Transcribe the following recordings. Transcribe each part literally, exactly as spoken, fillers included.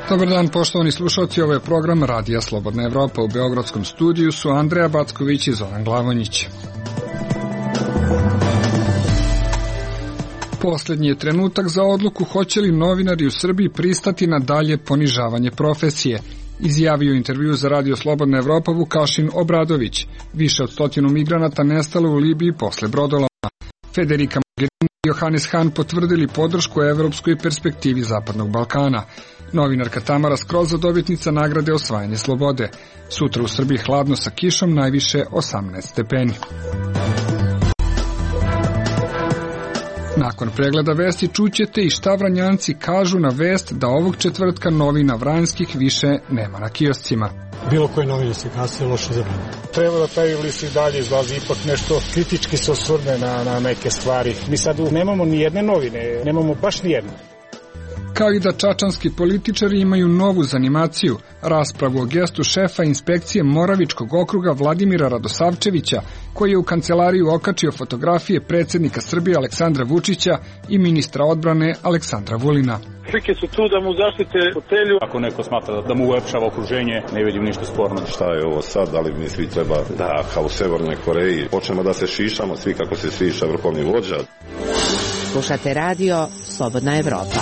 Dobar dan, poštovani slušalci, ovo je program Radija Slobodna Evropa. U beogradskom studiju su Andreja Backović i Zoran Glavonjić. Poslednji je trenutak za odluku hoće li novinari u Srbiji pristati na dalje ponižavanje profesije, izjavio u intervju za Radio Slobodna Evropa Vukašin Obradović. Više od stotinu migranata nestalo u Libiji posle brodoloma. Federica Mogherini i Johannes Hahn potvrdili podršku evropskoj perspektivi Zapadnog Balkana. Novinarka Tamara Skroza dobitnica nagrade Osvajanje slobode. Sutra u Srbiji hladno sa kišom, najviše osamnaest stepeni. Nakon pregleda vesti čućete i šta Vranjanci kažu na vest da ovog četvrtka novina Vranjskih više nema na kioscima. Bilo koje novine se gase, loše za mene. Treba da taj list i dalje izlazi, ipak nešto kritički se osvrne na, na neke stvari. Mi sad nemamo ni jedne novine, nemamo baš ni jedne. Kao i da čačanski političari imaju novu zanimaciju, raspravu o gestu šefa inspekcije Moravičkog okruga Vladimira Radosavčevića, koji je u kancelariju okačio fotografije predsjednika Srbije Aleksandra Vučića i ministra odbrane Aleksandra Vulina. Slike su tu da mu zaštite fotelju. Ako neko smatra da mu ulepšava okruženje, ne vidim ništa sporno. Šta je ovo sad? Da li mi svi treba da, kao u Severnoj Koreji, počnemo da se šišamo, svi kako se šiša vrhovni vođa? Slušate radio Slobodna Evropa.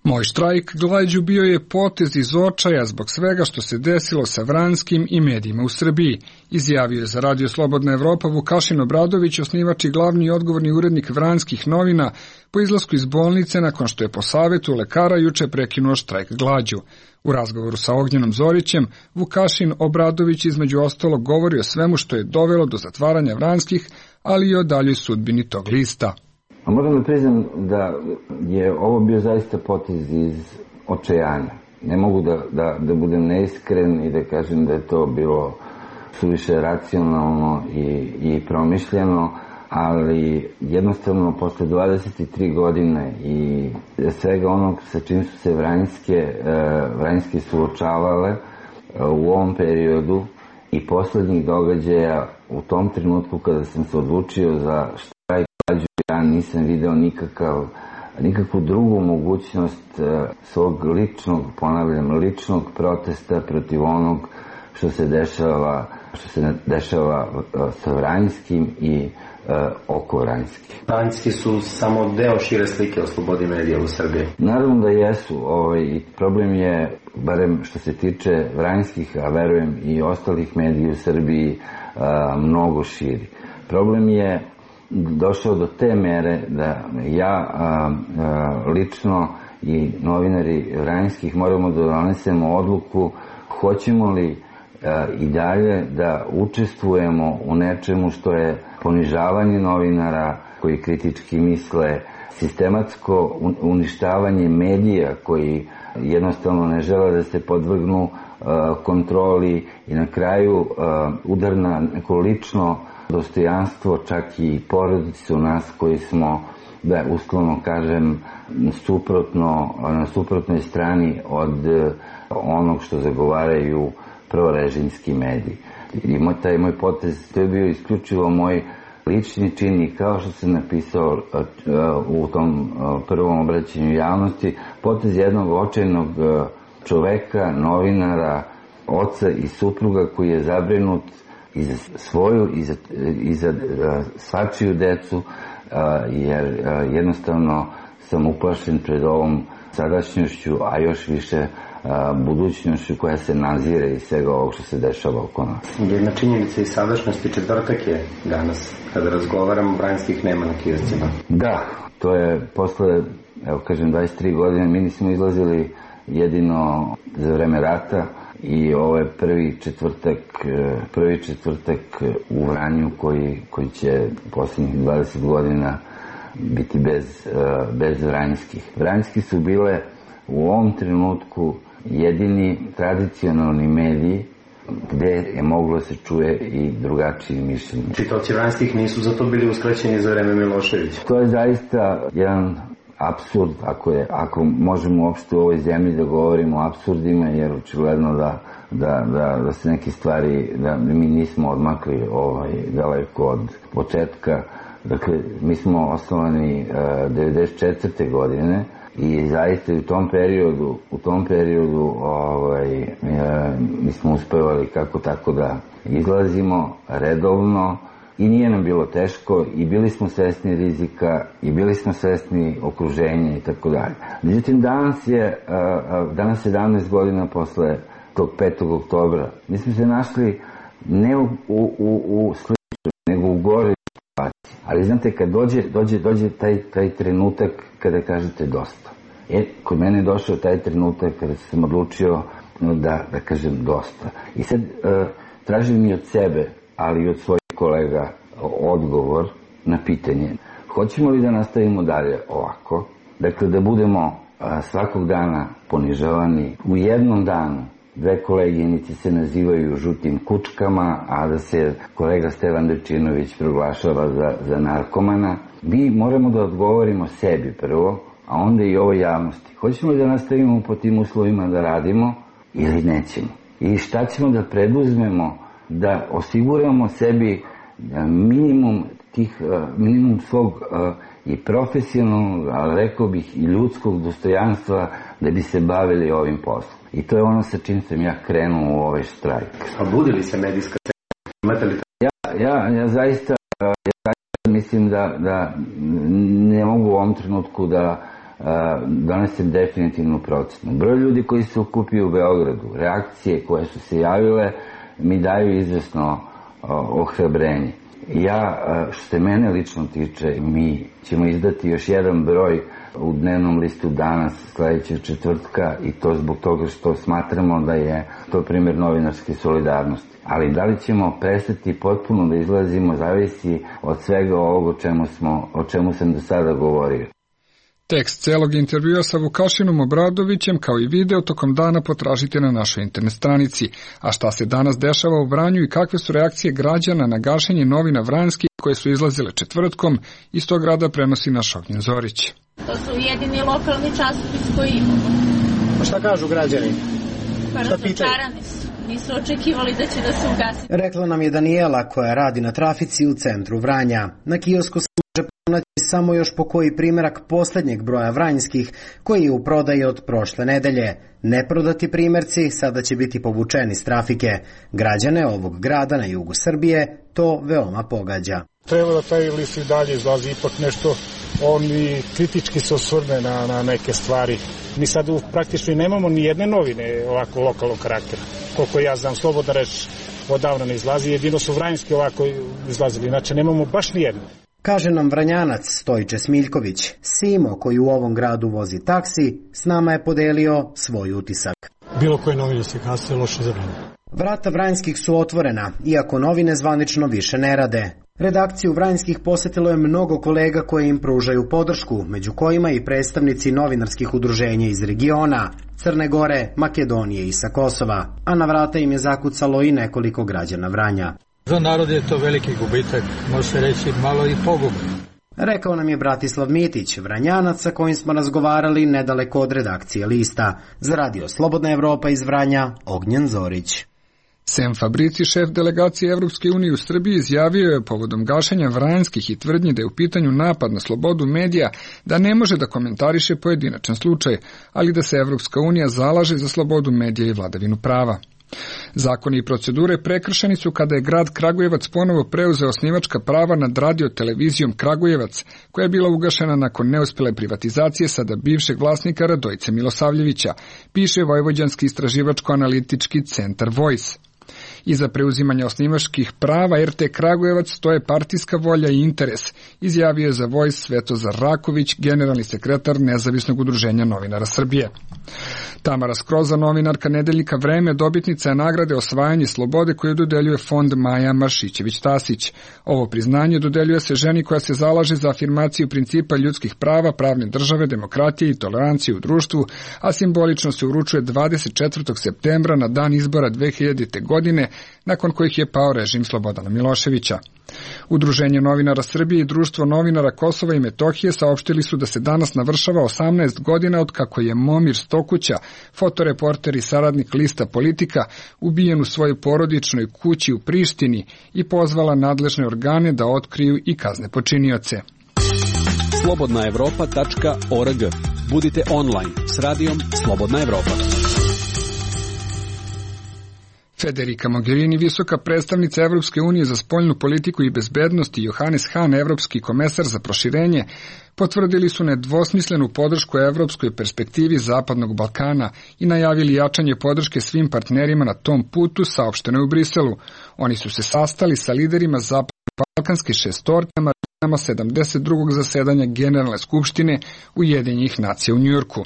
Moj štrajk glađu bio je potez iz očaja zbog svega što se desilo sa Vranjskim i medijima u Srbiji, izjavio je za Radio Slobodna Evropa Vukašin Obradović, osnivač i glavni i odgovorni urednik Vranjskih novina, po izlasku iz bolnice nakon što je po savetu lekara juče prekinuo štrajk glađu. U razgovoru sa Ognjenom Zorićem, Vukašin Obradović između ostalog govori o svemu što je dovelo do zatvaranja Vranjskih, ali i o daljoj sudbini tog lista. A moram da priznam da je ovo bio zaista potez iz očajanja. Ne mogu da, da, da budem neiskren i da kažem da je to bilo suviše racionalno i, i promišljeno, ali jednostavno posle dvadeset tri godine i svega onog sa čim su se Vranjske, Vranjske suočavale u ovom periodu i poslednjih događaja, u tom trenutku kada sam se odlučio za štrajk glađu, ja nisam video nikakav, nikakvu drugu mogućnost svog ličnog, ponavljam, ličnog protesta protiv onog što se dešava, što se dešava sa Vranjskim i oko Vranjski. Vranjski su samo deo šire slike o slobodi medija u Srbiji. Naravno da jesu. Ovaj, problem je, barem što se tiče Vranjskih, a verujem i ostalih medija u Srbiji, a, mnogo širi. Problem je došao do te mere da ja a, a, lično i novinari Vranjskih moramo da donesemo odluku hoćemo li a, i dalje da učestvujemo u nečemu što je ponižavanje novinara koji kritički misle, sistematsko uništavanje medija koji jednostavno ne žele da se podvrgnu uh, kontroli i na kraju uh, udar na neko lično dostojanstvo, čak i porodicu nas koji smo, da uslovno kažem, suprotno, na suprotnoj strani od uh, onog što zagovaraju prorežimski mediji. I moj, taj moj potez, to je bio isključivo moj lični čin i kao što sam napisao u tom prvom obraćanju javnosti, potez jednog očajnog čoveka, novinara, oca i supruga koji je zabrinut i za svoju i za, i za svačiju decu, jer jednostavno sam uplašen pred ovom sadašnjošću, a još više budućnošću koja se nazire iz svega ovog što se dešava oko nas. Jedna činjenica i sadašnjosti, četvrtak je danas, kada razgovaramo, Vranjskih nema na kioscima. Da, to je posle, evo kažem, dvadeset tri godine, mi nismo izlazili jedino za vreme rata i ovo je prvi četvrtak, prvi četvrtak u Vranju koji, koji će poslednjih dvadeset godina biti bez, bez Vranjskih. Vranjski su bile u ovom trenutku jedini tradicionalni mediji gde je moglo se čuje i drugačije mišljenje. Čitaoci Vranjskih nisu zato bili uskraćeni za vreme Miloševića. To je zaista jedan apsurd, ako, je, ako možemo uopšte u ovoj zemlji da govorimo o apsurdima, jer očigledno da, da, da, da se neke stvari, da mi nismo odmakli ovaj, daleko od početka. Dakle, mi smo osnovani uh, devedeset četvrte godine I zaista u tom periodu, u tom periodu ovaj, e, mi smo uspevali kako tako da izlazimo redovno i nije nam bilo teško i bili smo svesni rizika i bili smo svesni okruženja i tako dalje. Međutim, danas je, danas sedamnaest godina posle tog petog oktobra. Mi smo se našli ne u, u, u, u sličnoj, nego u goroj situaciji. Ali znate, kad dođe, dođe, dođe taj, taj trenutak kada kažete dosta. E, kod mene je došao taj trenutak kada sam odlučio da, da kažem dosta. I sad uh, tražim i od sebe, ali i od svojih kolega odgovor na pitanje. Hoćemo li da nastavimo dalje ovako? Dakle, da budemo a, svakog dana ponižavani. U jednom danu dve koleginice se nazivaju žutim kučkama, a da se kolega Stevan Dečinović proglašava za, za narkomana. Mi moramo da odgovorimo sebi prvo, a onda i ovoj javnosti. Hoćemo li da nastavimo po tim uslovima da radimo ili nećemo? I šta ćemo da preduzmemo da osiguramo sebi minimum tih, minimum svog i profesionalnog, ali rekao bih i ljudskog dostojanstva da bi se bavili ovim poslom. I to je ono sa čim sam ja krenuo u ovaj štrajk. A budi li se medijska scena? Imate li ja, ja, ja zaista ja zaista mislim da, da ne mogu u ovom trenutku da donesem definitivnu procenu. Broj ljudi koji se okupio u Beogradu, reakcije koje su se javile mi daju izvesno ohrabrenje. Ja, što se mene lično tiče, mi ćemo izdati još jedan broj u dnevnom listu danas, sledećeg četvrtka, i to zbog toga što smatramo da je to primjer novinarske solidarnosti. Ali da li ćemo prestati potpuno da izlazimo, zavisi od svega ovog o čemu, smo, o čemu sam do sada govorio. Tekst celog intervjua sa Vukašinom Obradovićem kao i video tokom dana potražite na našoj internet stranici. A šta se danas dešava u Vranju i kakve su reakcije građana na gašenje novina vranjskih koje su izlazile četvrtkom, iz tog grada prenosi naš Ognjen Zorić. To su jedini lokalni časopis koji imamo. A šta kažu građani? Pa razočarani su. Nisu očekivali da će da se ugasi. Rekla nam je Danijela koja radi na trafici u centru Vranja. Na kiosku se može pronaći samo još po koji primjerak poslednjeg broja vranjskih koji je u prodaji od prošle nedelje. Neprodati primjerci sada će biti povučeni s trafike. Građane ovog grada na jugu Srbije to veoma pogađa. Treba da taj list i dalje izlazi, ipak nešto on i kritički se osvrne na, na neke stvari. Mi sad u, praktično nemamo ni jedne novine ovako lokalnog karaktera. Koliko ja znam, slobodna reč odavno ne izlazi, jedino su vranjski ovako izlazili, znači nemamo baš ni jedne. Kaže nam Vranjanac Stojiče Smiljković. Simo, koji u ovom gradu vozi taksi, s nama je podelio svoj utisak. Bilo koje novine se kasnije loše za Vranje. Vrata Vranjskih su otvorena, iako novine zvanično više ne rade. Redakciju Vranjskih posetilo je mnogo kolega koji im pružaju podršku, među kojima i predstavnici novinarskih udruženja iz regiona, Crne Gore, Makedonije i sa Kosova, a na vrata im je zakucalo i nekoliko građana Vranja. Za narod je to veliki gubitak, može se reći malo i pogubno. Rekao nam je Bratislav Mitić, Vranjanac sa kojim smo razgovarali nedaleko od redakcije lista. Za radio Slobodna Evropa iz Vranja, Ognjen Zorić. Sem Fabrici, šef delegacije Evropske unije u Srbiji, izjavio je povodom gašenja vranjskih i tvrdnji da je u pitanju napad na slobodu medija da ne može da komentariše pojedinačan slučaj, ali da se Evropska unija zalaže za slobodu medija i vladavinu prava. Zakoni i procedure prekršeni su kada je grad Kragujevac ponovo preuzeo osnivačka prava nad radio-televizijom Kragujevac, koja je bila ugašena nakon neuspjele privatizacije sada bivšeg vlasnika Radojice Milosavljevića, piše Vojvođanski istraživačko-analitički centar Voice. Iza preuzimanja osnivačkih prava er te Kragujevac stoje partijska volja i interes, izjavio je za Voice Svetozar Raković, generalni sekretar Nezavisnog udruženja novinara Srbije. Tamara Skroza, novinarka nedeljnika Vreme, dobitnica je nagrade Osvajanje slobode koju dodeljuje fond Maja Maršićević-Tasić. Ovo priznanje dodeljuje se ženi koja se zalaže za afirmaciju principa ljudskih prava, pravne države, demokratije i tolerancije u društvu, a simbolično se uručuje dvadeset četvrtog septembra na dan izbora dve hiljadite. godine, nakon kojih je pao režim Slobodana Miloševića. Udruženje novinara Srbije i Društvo novinara Kosova i Metohije saopštili su da se danas navršava osamnaest godina od kako je Momir Stokuća, fotoreporter i saradnik lista Politika, ubijen u svojoj porodičnoj kući u Prištini i pozvala nadležne organe da otkriju i kazne počinioce. slobodna evropa tačka org Budite online s radijom Slobodna Evropa. Federica Mogherini, visoka predstavnica Evropske unije za spoljnu politiku i bezbednost, i Johannes Hahn, evropski komesar za proširenje, potvrdili su nedvosmislenu podršku evropskoj perspektivi Zapadnog Balkana i najavili jačanje podrške svim partnerima na tom putu, saopšteno je u Briselu. Oni su se sastali sa liderima Zapadno-balkanske šestorke na sedamdeset drugog zasedanja Generalne skupštine Ujedinjenih nacija u Njujorku.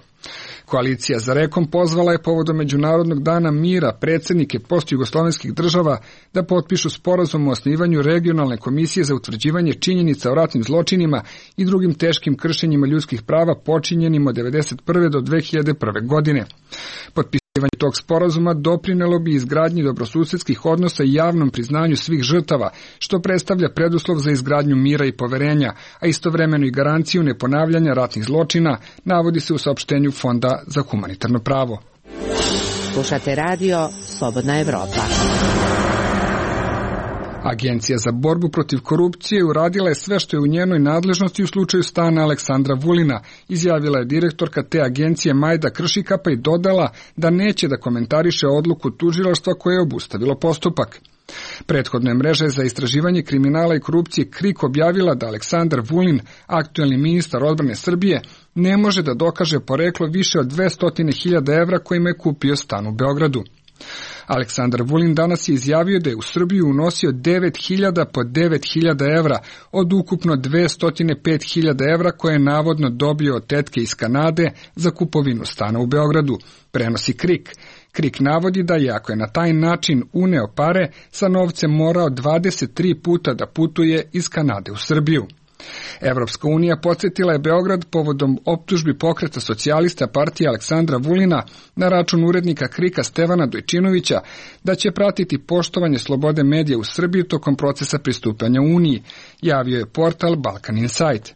Koalicija za rekom pozvala je povodom Međunarodnog dana mira predsjednike postjugoslovenskih država da potpišu sporazum o osnivanju regionalne komisije za utvrđivanje činjenica o ratnim zločinima i drugim teškim kršenjima ljudskih prava počinjenim od devedeset prve do dve hiljade prve. godine. Potpisivanje tog sporazuma doprinelo bi izgradnji dobrosusedskih odnosa i javnom priznanju svih žrtava, što predstavlja preduslov za izgradnju mira i poverenja, a istovremeno i garanciju neponavljanja ratnih zločina, navodi se u saopštenju Fonda za humanitarno pravo. Slušate radio Slobodna Evropa. Agencija za borbu protiv korupcije uradila je sve što je u njenoj nadležnosti u slučaju stana Aleksandra Vulina, izjavila je direktorka te agencije Majda Kršikapa i dodala da neće da komentariše odluku tužilaštva koje je obustavilo postupak. Prethodno je mreža za istraživanje kriminala i korupcije KRIK objavila da Aleksandar Vulin, aktuelni ministar odbrane Srbije, ne može da dokaže poreklo više od dvesta hiljada evra kojima je kupio stan u Beogradu. Aleksandar Vulin danas je izjavio da je u Srbiju unosio devet hiljada po devet hiljada evra od ukupno dvesta pet hiljada evra koje je navodno dobio od tetke iz Kanade za kupovinu stana u Beogradu, prenosi KRIK. KRIK navodi da je, ako je na taj način uneo pare, sa novcem morao dvadeset tri puta da putuje iz Kanade u Srbiju. Evropska unija podsjetila je Beograd povodom optužbi pokreta socijalista partije Aleksandra Vulina na račun urednika KRIK-a Stevana Dojčinovića da će pratiti poštovanje slobode medija u Srbiji tokom procesa pristupanja Uniji, javio je portal Balkan Insight.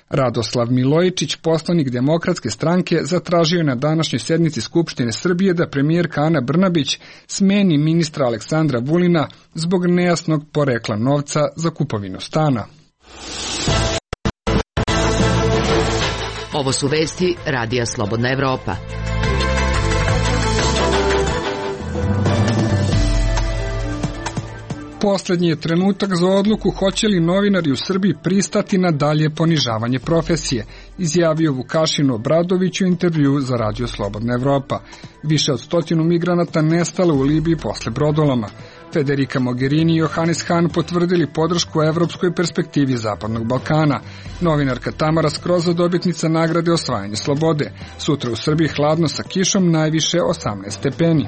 Radoslav Milojičić, poslanik Demokratske stranke, zatražio je na današnjoj sednici Skupštine Srbije da premijerka Ana Brnabić smeni ministra Aleksandra Vulina zbog nejasnog porekla novca za kupovinu stana. Ovo su vesti Radija Slobodna Evropa. Poslednji je trenutak za odluku hoće li novinari u Srbiji pristati na dalje ponižavanje profesije, izjavio Vukašin Obradović u intervju za Radio Slobodna Evropa. Više od stotinu migranata nestalo u Libiji posle brodoloma. Federica Mogherini i Johannes Hahn potvrdili podršku evropskoj perspektivi Zapadnog Balkana. Novinarka Tamara Skroza, dobitnica nagrade Osvajanje slobode. Sutra u Srbiji hladno sa kišom, najviše osamnaest stepeni.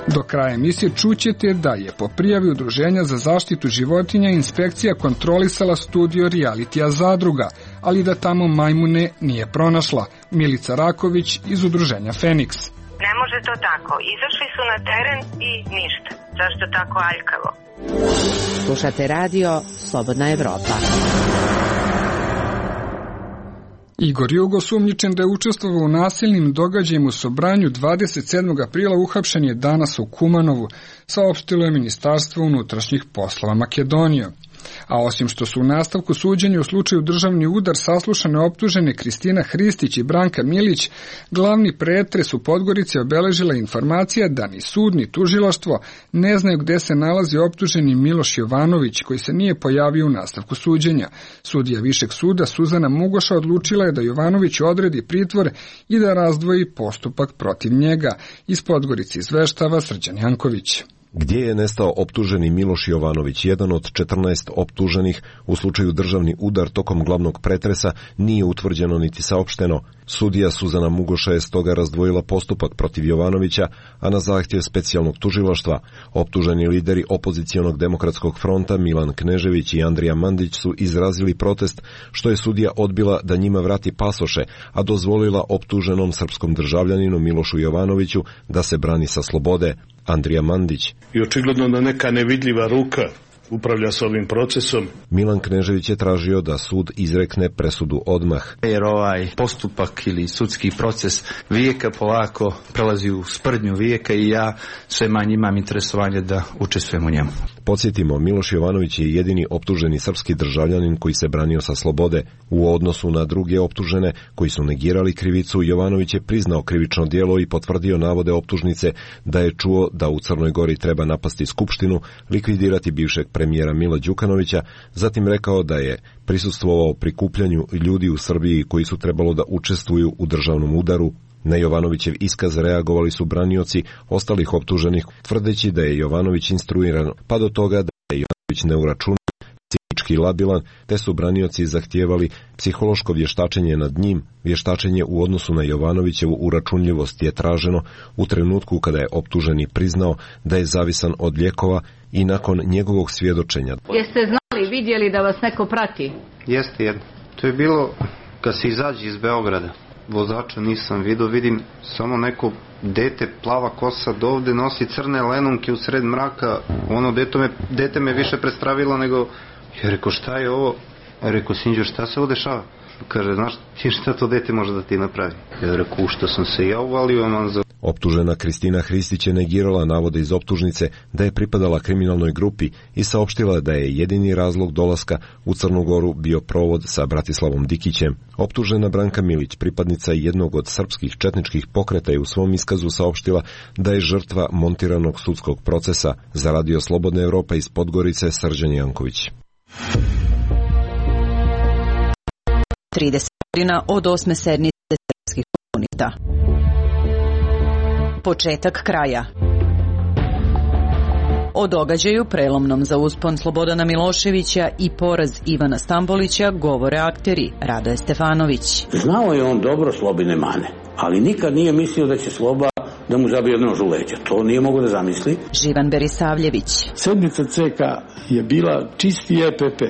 Do kraja emisije čućete da je po prijavi Udruženja za zaštitu životinja inspekcija kontrolisala studio realitija Zadruga, ali da tamo majmune nije pronašla. Milica Raković iz Udruženja Feniks. Ne može to tako. Izašli su na teren i ništa. Zašto tako aljkavo? Slušate radio Slobodna Evropa. Igor Jugo, sumnjičen da je učestvovao u nasilnim događajima u Sobranju dvadeset sedmog aprila, uhapšen je danas u Kumanovu, saopštilo je Ministarstvo unutrašnjih poslova Makedonije. A osim što su u nastavku suđenja u slučaju državni udar saslušane optužene Kristina Hristić i Branka Milić, glavni pretres u Podgorici obeležila informacija da ni sud ni tužilaštvo ne znaju gde se nalazi optuženi Miloš Jovanović, koji se nije pojavio u nastavku suđenja. Sudija Višeg suda Suzana Mugoša odlučila je da Jovanović odredi pritvor i da razdvoji postupak protiv njega. Iz Podgorice izveštava Srđan Janković. Gdje je nestao optuženi Miloš Jovanović, jedan od četrnaest optuženih u slučaju državni udar tokom glavnog pretresa, nije utvrđeno niti saopšteno. Sudija Suzana Mugoša je stoga razdvojila postupak protiv Jovanovića, a na zahtjev specijalnog tužilaštva optuženi lideri opozicionog demokratskog fronta Milan Knežević i Andrija Mandić su izrazili protest što je sudija odbila da njima vrati pasoše, a dozvolila optuženom srpskom državljaninu Milošu Jovanoviću da se brani sa slobode. Andrija Mandić. I očigledno da neka nevidljiva ruka upravlja s ovim procesom. Milan Knežević je tražio da sud izrekne presudu odmah. Jer ovaj postupak ili sudski proces vijeka polako prelazi u sprdnju vijeka i ja sve manje imam interesovanje da učestvujem u njemu. Podsjetimo, Miloš Jovanović je jedini optuženi srpski državljanin koji se branio sa slobode. U odnosu na druge optužene koji su negirali krivicu, Jovanović je priznao krivično djelo i potvrdio navode optužnice da je čuo da u Crnoj Gori treba napasti skupštinu, likvidirati bivšeg premijera Mila Đukanovića, zatim rekao da je prisustvovao prikupljanju ljudi u Srbiji koji su trebalo da učestvuju u državnom udaru. Na Jovanovićev iskaz reagovali su branioci ostalih optuženih, tvrdeći da je Jovanović instruiran pa do toga da je Jovanović neuračunljiv, psihički labilan, te su branioci zahtijevali psihološko vještačenje nad njim. Vještačenje u odnosu na Jovanovićevu uračunljivost je traženo u trenutku kada je optuženi priznao da je zavisan od lijekova i nakon njegovog svjedočenja. Jeste znali, vidjeli da vas neko prati? Jeste, jedno. To je bilo kad se izađe iz Beograda. Vozača nisam vidio, vidim samo neko dete, plava kosa, dovde nosi crne lenonke u sred mraka. Ono dete me, dete me više prestravilo nego, ja rekao šta je ovo? Ja rekao, Sinđo, šta se ovo dešava? Kaže, znaš ti šta to dete može da ti napravi? Ja rekao, u što sam se ja uvalio, man za... Optužena Kristina Hristić je negirala navode iz optužnice da je pripadala kriminalnoj grupi i saopštila da je jedini razlog dolaska u Crnu Goru bio provod sa Bratislavom Dikićem. Optužena Branka Milić, pripadnica jednog od srpskih četničkih pokreta, je u svom iskazu saopštila da je žrtva montiranog sudskog procesa. Za Radio Slobodna Evropa iz Podgorice, Srđan Janković. trideset godina od osme sednice srpskih komunista. Početak kraja. O događaju prelomnom za uspon Slobodana Miloševića i poraz Ivana Stambolića govore akteri Radoje Stefanović. Znao je on dobro Slobine mane, ali nikad nije mislio da će Sloba da mu zabije nož u leđa. To nije mogo da zamisli. Živan Berisavljević. Sedmica C K je bila čisti E P P.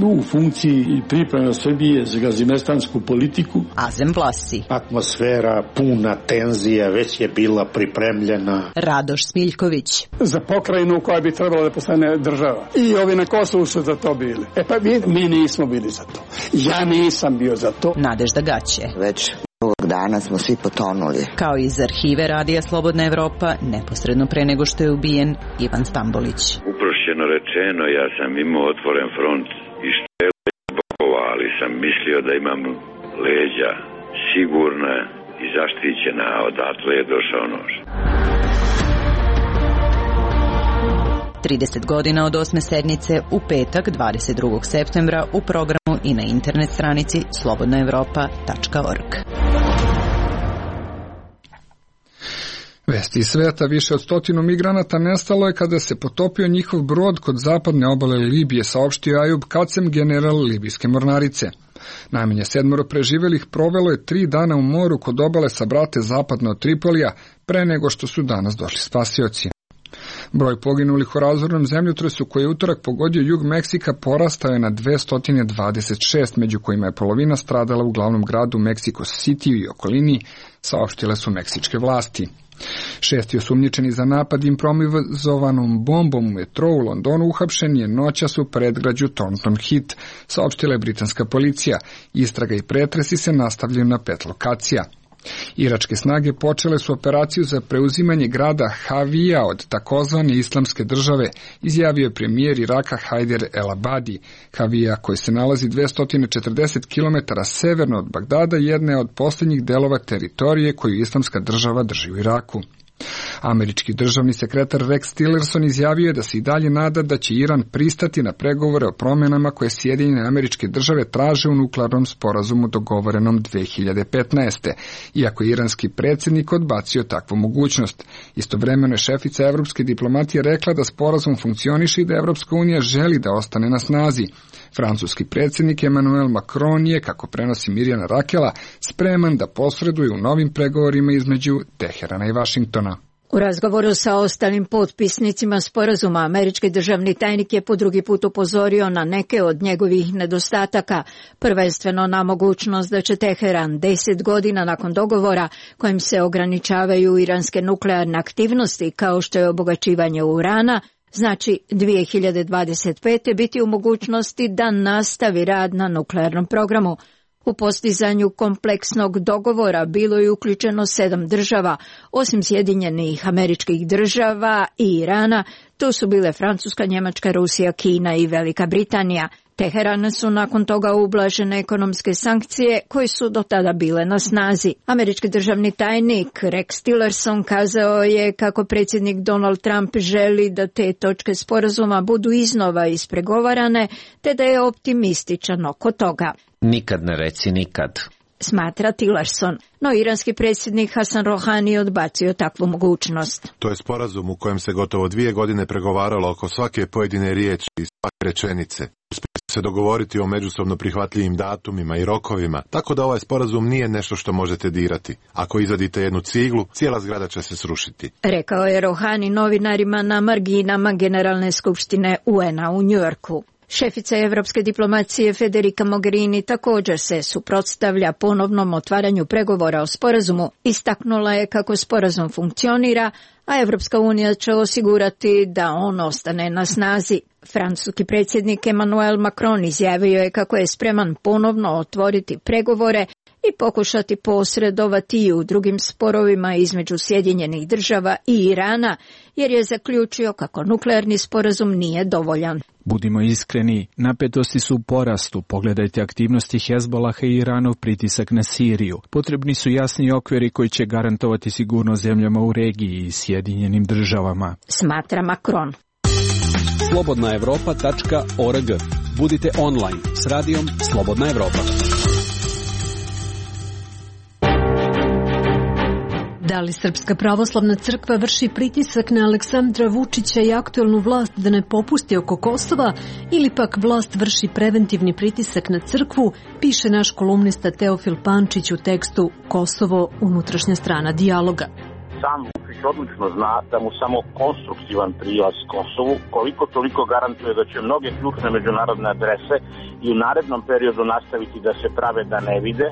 U funkciji i priprema Srbije za gazimestansku politiku. Azem Vlasi. Atmosfera puna tenzija već je bila pripremljena. Radoš Smiljković. Za pokrajinu koja bi trebala da postane država. I ovi na Kosovu su za to bili. E pa mi, mi nismo bili za to. Ja nisam bio za to. Nadežda Gaće. Već ovog dana smo svi potonuli. Kao iz arhive Radija Slobodna Evropa, neposredno pre nego što je ubijen Ivan Stambolić. Uprošćeno rečeno, ja sam imao otvoren front i štele bokova, ali sam mislio da imam leđa sigurna i zaštićena, a odatle je došao nož. trideset godina od osme sednice u petak dvadeset drugog septembra u programu i na internet stranici slobodna evropa tačka org. Vesti iz sveta, više od stotinu migranata nestalo je kada se potopio njihov brod kod zapadne obale Libije, saopštio Ajub Kacem, general libijske mornarice. Najmanje sedmoro preživelih provelo je tri dana u moru kod obale sa brate zapadno od Tripolija, pre nego što su danas došli spasioci. Broj poginulih u razornom zemljotresu koji je utorak pogodio jug Meksika porastao je na dvesta dvadeset šest, među kojima je polovina stradala u glavnom gradu Mexico City i okolini, saopštile su meksičke vlasti. Šesti osumnjičeni za napad improvizovanom bombom u metrou u Londonu uhapšen je noćas u predgrađu Thornton Heath, saopštila je britanska policija. Istraga i pretresi se nastavljaju na pet lokacija. Iračke snage počele su operaciju za preuzimanje grada Havija od takozvane islamske države, izjavio je premijer Iraka Hajder El Abadi. Havija, koji se nalazi dvesta četrdeset kilometara severno od Bagdada, jedna je od posljednjih delova teritorije koju islamska država drži u Iraku. Američki državni sekretar Rex Tillerson izjavio je da se i dalje nada da će Iran pristati na pregovore o promjenama koje Sjedinjene Američke Države traže u nuklearnom sporazumu dogovorenom dve hiljade petnaeste. Iako je iranski predsjednik odbacio takvu mogućnost. Istovremeno je šefica evropske diplomatije rekla da sporazum funkcioniše i da Evropska unija želi da ostane na snazi. Francuski predsjednik Emmanuel Macron je, kako prenosi Mirjana Rakela, spreman da posreduje u novim pregovorima između Teherana i Vašingtona. U razgovoru sa ostalim potpisnicima sporazuma, američki državni tajnik je po drugi put upozorio na neke od njegovih nedostataka, prvenstveno na mogućnost da će Teheran deset godina nakon dogovora kojim se ograničavaju iranske nuklearne aktivnosti kao što je obogaćivanje urana, znači dvije hiljade dvadeset pete biti u mogućnosti da nastavi rad na nuklearnom programu. U postizanju kompleksnog dogovora bilo je uključeno sedam država, osim Sjedinjenih Američkih Država i Irana, tu su bile Francuska, Njemačka, Rusija, Kina i Velika Britanija. Teherana su nakon toga ublažene ekonomske sankcije koje su do tada bile na snazi. Američki državni tajnik Rex Tillerson kazao je kako predsjednik Donald Trump želi da te točke sporazuma budu iznova ispregovarane, te da je optimističan oko toga. Nikad ne reci nikad, smatra Tillerson, no iranski predsjednik Hasan Rohani odbacio takvu mogućnost. To je sporazum u kojem se gotovo dvije godine pregovaralo oko svake pojedine riječi i svake rečenice. Uspjeli se dogovoriti o međusobno prihvatljivim datumima i rokovima, tako da ovaj sporazum nije nešto što možete dirati. Ako izvadite jednu ciglu, cijela zgrada će se srušiti. Rekao je Rohani novinarima na marginama Generalne skupštine U N A u Njujorku. Šefica evropske diplomacije Federica Mogherini također se suprotstavlja ponovnom otvaranju pregovora o sporazumu. Istaknula je kako sporazum funkcionira, a Evropska unija će osigurati da on ostane na snazi. Francuski predsjednik Emmanuel Macron izjavio je kako je spreman ponovno otvoriti pregovore i pokušati posredovati i u drugim sporovima između Sjedinjenih Država i Irana, jer je zaključio kako nuklearni sporazum nije dovoljan. Budimo iskreni, napetosti su u porastu. Pogledajte aktivnosti Hezbolaha i Iranov pritisak na Siriju. Potrebni su jasni okviri koji će garantovati sigurnost zemljama u regiji i Sjedinjenim Državama, smatra Macron. slobodna evropa tačka org. Budite online s radijom Slobodna Evropa. Da li Srpska pravoslavna crkva vrši pritisak na Aleksandra Vučića i aktuelnu vlast da ne popusti oko Kosova, ili pak vlast vrši preventivni pritisak na crkvu, piše naš kolumnista Teofil Pančić u tekstu Kosovo, unutrašnja strana dijaloga. Sam Vučić odlično zna da mu samo konstruktivan prilaz Kosovu koliko toliko garantuje da će mnoge ključne međunarodne adrese i u narednom periodu nastaviti da se prave da ne vide,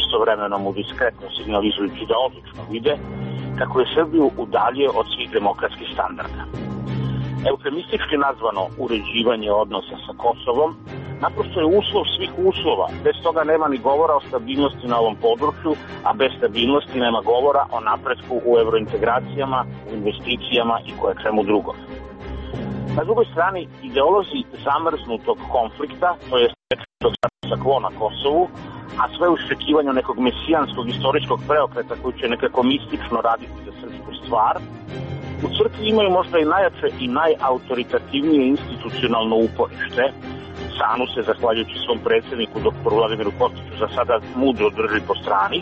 istovremeno mu diskretno signalizujući da odlično vide, kako je Srbiju udalje od svih demokratskih standarda. Eufemistički nazvano uređivanje odnosa sa Kosovom naprosto je uslov svih uslova. Bez toga nema ni govora o stabilnosti na ovom području, a bez stabilnosti nema govora o napretku u evrointegracijama, u investicijama i koje čemu drugom. Na drugoj strani, ideolozi zamrznutog konflikta, to je statusa quo na Kosovu, a sve u iščekivanju nekog mesijanskog istorijskog preokreta koji će nekako mistično raditi za srpsku stvar, u crkvi imaju možda i najjače i najautoritativnije institucionalno uporište. Sanu se, zahvaljujući svom predsjedniku, doktoru Vladimiru Kostiću, za sada mudro drži po strani,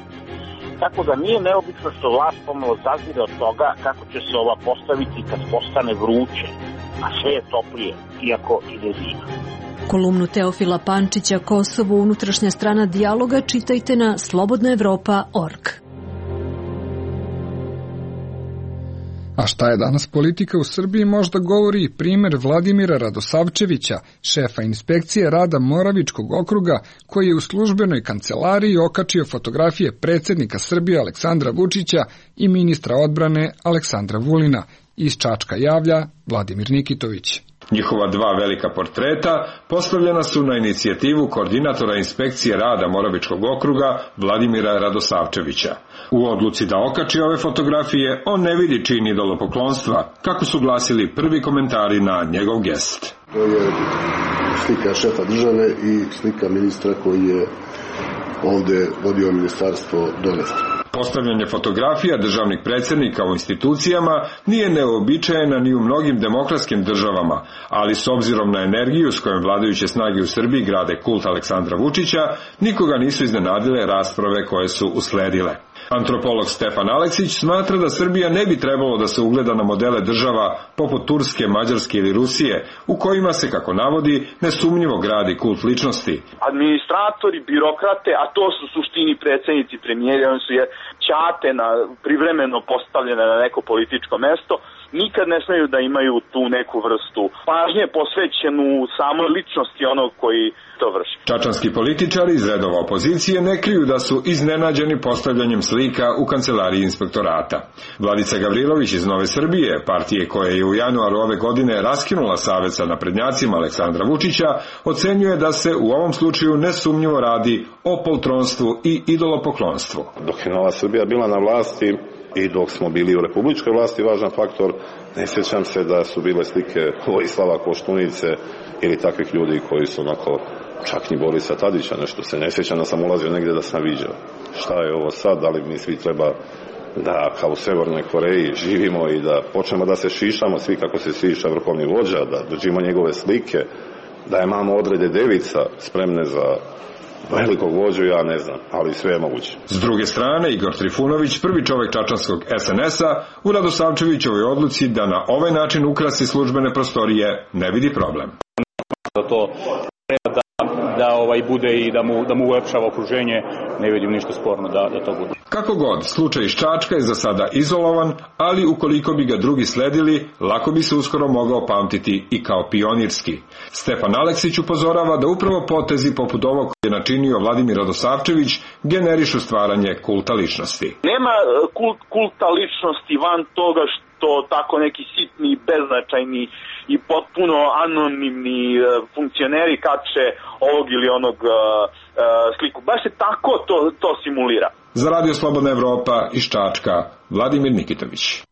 tako da nije neobično što vlast pomalo zazire od toga kako će se ova postaviti kad postane vruće, a sve je toplije, iako ide zima. Kolumnu Teofila Pančića Kosovo, unutrašnja strana dijaloga, čitajte na slobodna evropa tačka org. A šta je danas politika u Srbiji možda govori i primjer Vladimira Radosavčevića, šefa inspekcije rada Moravičkog okruga, koji je u službenoj kancelariji okačio fotografije predsjednika Srbije Aleksandra Vučića i ministra odbrane Aleksandra Vulina. Iz Čačka javlja Vladimir Nikitović. Njihova dva velika portreta postavljena su na inicijativu koordinatora inspekcije rada Moravičkog okruga Vladimira Radosavčevića. U odluci da okači ove fotografije, on ne vidi čin idolopoklonstva, kako su glasili prvi komentari na njegov gest. To je slika šefa države i slika ministra koji je ovde vodio ministarstvo donesti. Postavljanje fotografija državnih predsjednika u institucijama nije neobičajena ni u mnogim demokratskim državama, ali s obzirom na energiju s kojom vladajuće snage u Srbiji grade kult Aleksandra Vučića, nikoga nisu iznenadile rasprave koje su usledile. Antropolog Stefan Aleksić smatra da Srbija ne bi trebalo da se ugleda na modele država poput Turske, Mađarske ili Rusije, u kojima se, kako navodi, nesumnjivo gradi kult ličnosti. Administratori, birokrate, a to su suštini predsjednici, premijeri, oni su je ćate na, privremeno postavljene na neko političko mesto, nikad ne smeju da imaju tu neku vrstu pažnje posvećenu samoj ličnosti onog koji to vrši. Čačanski političari iz redova opozicije ne kriju da su iznenađeni postavljanjem slika u kancelariji inspektorata. Vladica Gavrilović iz Nove Srbije, partije koja je u januaru ove godine raskinula savez sa naprednjacima Aleksandra Vučića, ocenjuje da se u ovom slučaju nesumnjivo radi o poltronstvu i idolopoklonstvu. Dok je Nova Srbija bila na vlasti i dok smo bili u republičkoj vlasti, važan faktor, ne sjećam se da su bile slike Vojislava Koštunice ili takvih ljudi koji su onako, čak ni Borisa Tadića, nešto se ne sjećam da sam ulazio negdje da sam viđao. Šta je ovo sad, da li mi svi treba da kao u Severnoj Koreji živimo i da počnemo da se šišamo svi kako se šiša vrhovni vođa, da držimo njegove slike, da imamo odrede devica spremne za velikog vođu, ja ne znam, ali sve je moguće. S druge strane, Igor Trifunović, prvi čovjek čačanskog es en es a, u Radosavčevićevoj odluci da na ovaj način ukrasi službene prostorije ne vidi problem. Da to treba da, da ovaj bude i da mu, da mu ulepšava okruženje, ne vidim ništa sporno da, da to bude. Kako god, slučaj iz Čačka je za sada izolovan, ali ukoliko bi ga drugi sledili, lako bi se uskoro mogao pamtiti i kao pionirski. Stefan Aleksić upozorava da upravo potezi poput ovog koji je načinio Vladimir Radosavčević generišu stvaranje kulta ličnosti. Nema kult, kulta ličnosti van toga što tako neki sitni, beznačajni i potpuno anonimni funkcioneri kače ovog ili onog uh, uh, sliku. Baš se tako to, to simulira. Za Radio Slobodna Evropa iz Čačka, Vladimir Nikitović.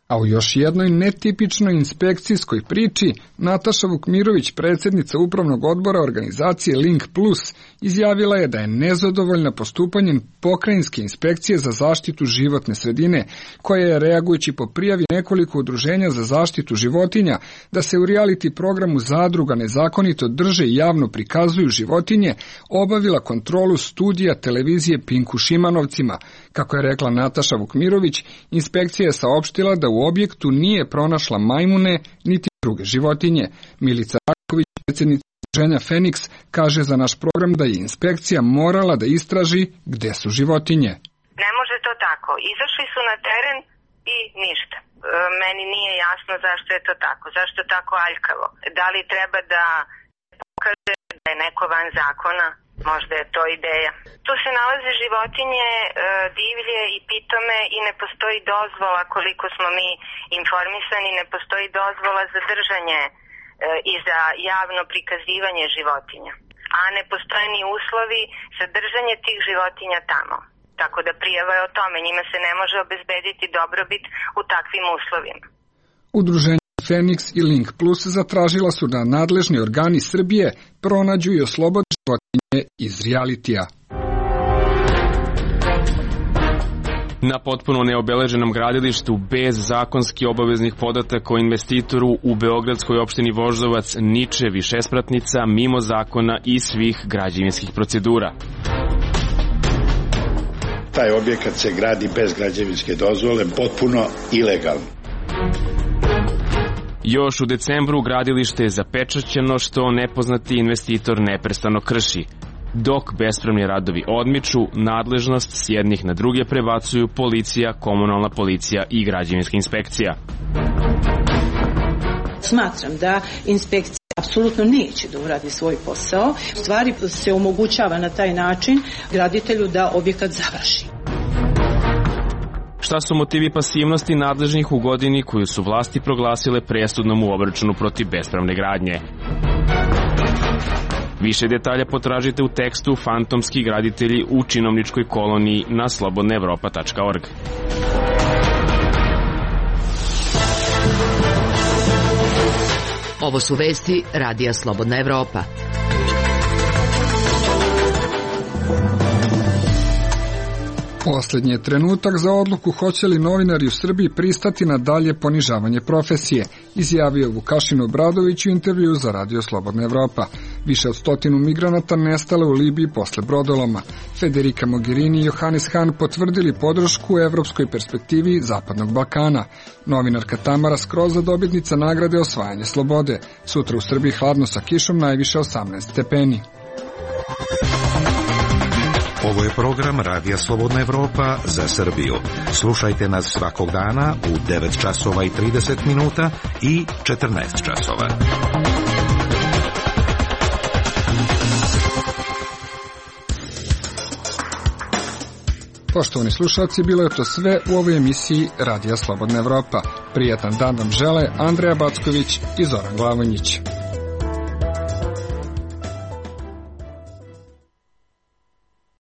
A u još jednoj netipičnoj inspekcijskoj priči, Nataša Vukmirović, predsjednica upravnog odbora organizacije Link Plus, izjavila je da je nezadovoljna postupanjem pokrajinske inspekcije za zaštitu životne sredine, koja je, reagujući po prijavi nekoliko udruženja za zaštitu životinja, da se u reality programu Zadruga nezakonito drže i javno prikazuju životinje, obavila kontrolu studija televizije Pinku Šimanovcima. Kako je rekla Nataša Vukmirović, inspekcija je saopštila da u objektu nije pronašla majmune niti druge životinje. Milica Raković, predsjednica udruženja Feniks, kaže za naš program da je inspekcija morala da istraži gde su životinje. Ne može to tako. Izašli su na teren i ništa. Meni nije jasno zašto je to tako. Zašto tako aljkavo? Da li treba da pokaže da je neko van zakona? Možda je to ideja. Tu se nalaze životinje e, divlje i pitome i ne postoji dozvola, koliko smo mi informisani, ne postoji dozvola za držanje e, i za javno prikazivanje životinja. A ne postoje ni uslovi za držanje tih životinja tamo. Tako da prijava je o tome, njima se ne može obezbediti dobrobit u takvim uslovima. Udruženje Feniks i Link Plus zatražila su da nadležni organi Srbije pronađu i oslobode životinje iz realitija. Na potpuno neobeleženom gradilištu bez zakonski obaveznih podataka o investitoru u beogradskoj opštini Voždovac niče višespratnica mimo zakona i svih građevinskih procedura. Taj objekat se gradi bez građevinske dozvole, potpuno ilegalno. Još u decembru gradilište je zapečaćeno što nepoznati investitor neprestano krši. Dok bespravni radovi odmiču, nadležnost s jednih na druge prebacuju policija, komunalna policija i građevinska inspekcija. Smatram da inspekcija apsolutno neće da uradi svoj posao. U stvari se omogućava na taj način graditelju da objekat završi. Šta su motivi pasivnosti nadležnih u godini koju su vlasti proglasile presudnom u obračunu protiv bespravne gradnje? Više detalja potražite u tekstu Fantomski graditelji u činovničkoj koloniji na slobodna evropa tačka org. Ovo su vesti Radija Slobodna Evropa. Poslednji je trenutak za odluku hoće li novinari u Srbiji pristati na dalje ponižavanje profesije, izjavio Vukašin Obradović u intervju za Radio Slobodna Evropa. Više od stotinu migranata nestale u Libiji posle brodoloma. Federica Mogherini i Johannes Hahn potvrdili podršku u evropskoj perspektivi Zapadnog Balkana. Novinarka Tamara Skroza, dobitnica nagrade Osvajanje slobode. Sutra u Srbiji hladno sa kišom, najviše osamnaest stepeni. Ovo je program Radija Slobodna Evropa za Srbiju. Slušajte nas svakog dana u devet časova i trideset minuta i četrnaest časova. Poštovani slušalci, bilo je to sve u ovoj emisiji Radija Slobodna Evropa. Prijatan dan vam žele Andreja Backović i Zoran Glavonjić.